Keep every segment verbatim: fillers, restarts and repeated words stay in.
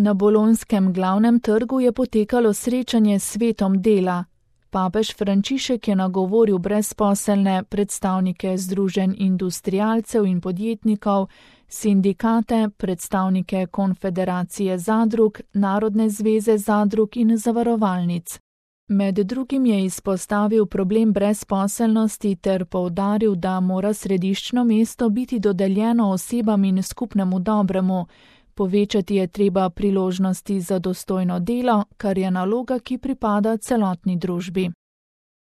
Na bolonjskem glavnem trgu je potekalo srečanje s svetom dela. Papež Frančišek je nagovoril brezposelne, predstavnike združenj industrialcev in podjetnikov, sindikate, predstavnike Konfederacije zadrug, Narodne zveze zadrug in zavarovalnic. Med drugim je izpostavil problem brezposelnosti ter poudaril, da mora središčno mesto biti dodeljeno osebam in skupnemu dobremu. Povečati je treba priložnosti za dostojno delo, kar je naloga, ki pripada celotni družbi.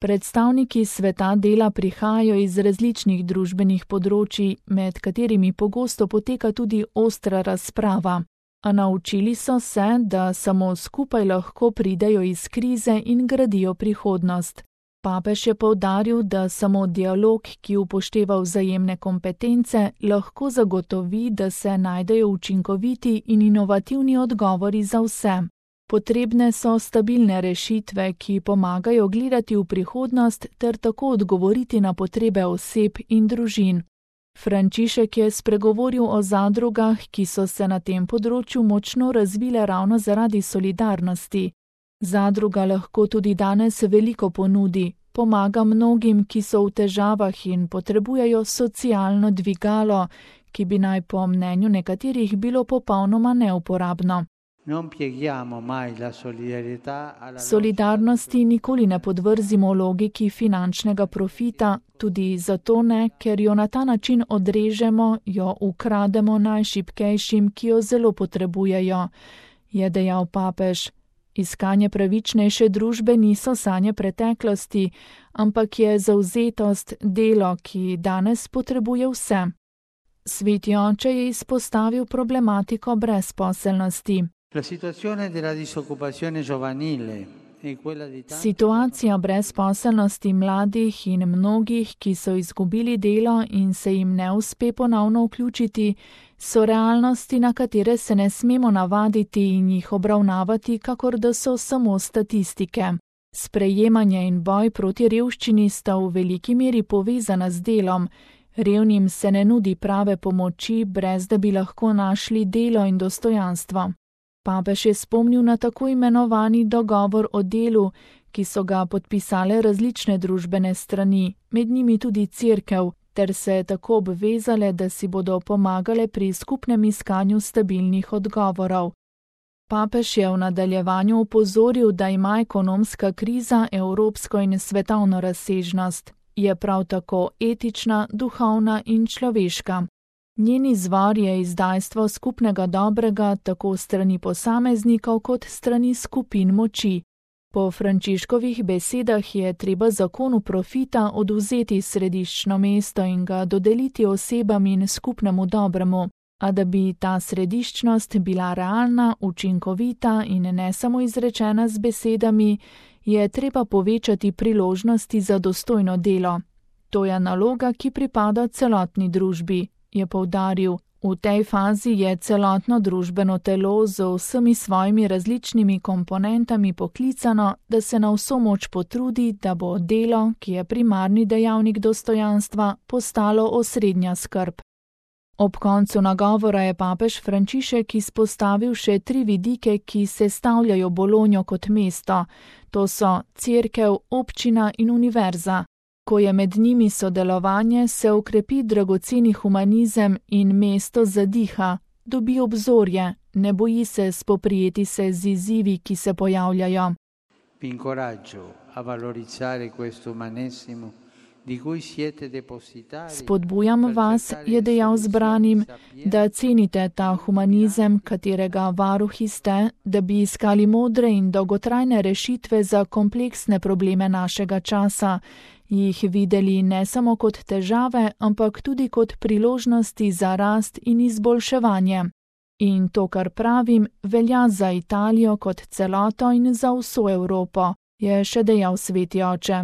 Predstavniki sveta dela prihajajo iz različnih družbenih področij, med katerimi pogosto poteka tudi ostra razprava. A naučili so se, da samo skupaj lahko pridejo iz krize in gradijo prihodnost. Papež je poudaril, da samo dialog, ki upošteva vzajemne kompetence, lahko zagotovi, da se najdejo učinkoviti in inovativni odgovori za vse. Potrebne so stabilne rešitve, ki pomagajo gledati v prihodnost ter tako odgovoriti na potrebe oseb in družin. Frančišek je spregovoril o zadrugah, ki so se na tem področju močno razvile ravno zaradi solidarnosti. Zadruga lahko tudi danes veliko ponudi, pomaga mnogim, ki so v težavah in potrebujejo socialno dvigalo, ki bi naj po mnenju nekaterih bilo popolnoma neuporabno. Solidarnosti nikoli ne podvrzimo logiki finančnega profita, tudi zato ne, ker jo na ta način odrežemo, jo ukrademo najšibkejšim, ki jo zelo potrebujejo, je dejal papež. Iskanje pravičnejše družbe niso sanje preteklosti, ampak je zavzetost delo, ki danes potrebuje vse. Sveti oče je izpostavil problematiko brezposelnosti. Situacija brezposelnosti mladih in mnogih, ki so izgubili delo in se jim ne uspe ponovno vključiti, so realnosti, na katere se ne smemo navaditi in jih obravnavati, kakor da so samo statistike. Sprejemanje in boj proti revščini sta v veliki meri povezana z delom. Revnim se ne nudi prave pomoči, brez da bi lahko našli delo in dostojanstvo. Papež je spomnil na tako imenovani dogovor o delu, ki so ga podpisale različne družbene strani, med njimi tudi cerkev, ter se tako obvezale, da si bodo pomagale pri skupnem iskanju stabilnih odgovorov. Papež je v nadaljevanju opozoril, da ima ekonomska kriza evropsko in svetovno razsežnost. Je prav tako etična, duhovna in človeška. Njen izvor je izdajstvo skupnega dobrega tako strani posameznikov kot strani skupin moči. Po Frančiškovih besedah je treba zakonu profita odvzeti središčno mesto in ga dodeliti osebam in skupnemu dobremu, a da bi ta središčnost bila realna, učinkovita in ne samo izrečena z besedami, je treba povečati priložnosti za dostojno delo. To je naloga, ki pripada celotni družbi, je poudaril. V tej fazi je celotno družbeno telo z vsemi svojimi različnimi komponentami poklicano, da se na vso moč potrudi, da bo delo, ki je primarni dejavnik dostojanstva, postalo osrednja skrb. Ob koncu nagovora je papež Frančišek izpostavil še tri vidike, ki sestavljajo Bolonjo kot mesto. To so cerkev, občina in univerza. Ko je med njimi sodelovanje, se okrepi dragoceni humanizem in mesto zadiha, dobi obzorje, ne boji se spoprijeti se z izzivi, ki se pojavljajo. Vi incoraggio a valorizzare questo umanesimo di cui siete depositari. Spodbujam vas, je dejal zbranim, da cenite ta humanizem, katerega varuhi ste, da bi iskali modre in dolgotrajne rešitve za kompleksne probleme našega časa, jih videli ne samo kot težave, ampak tudi kot priložnosti za rast in izboljševanje. In to, kar pravim, velja za Italijo kot celoto in za vso Evropo, je še dejal sveti oče.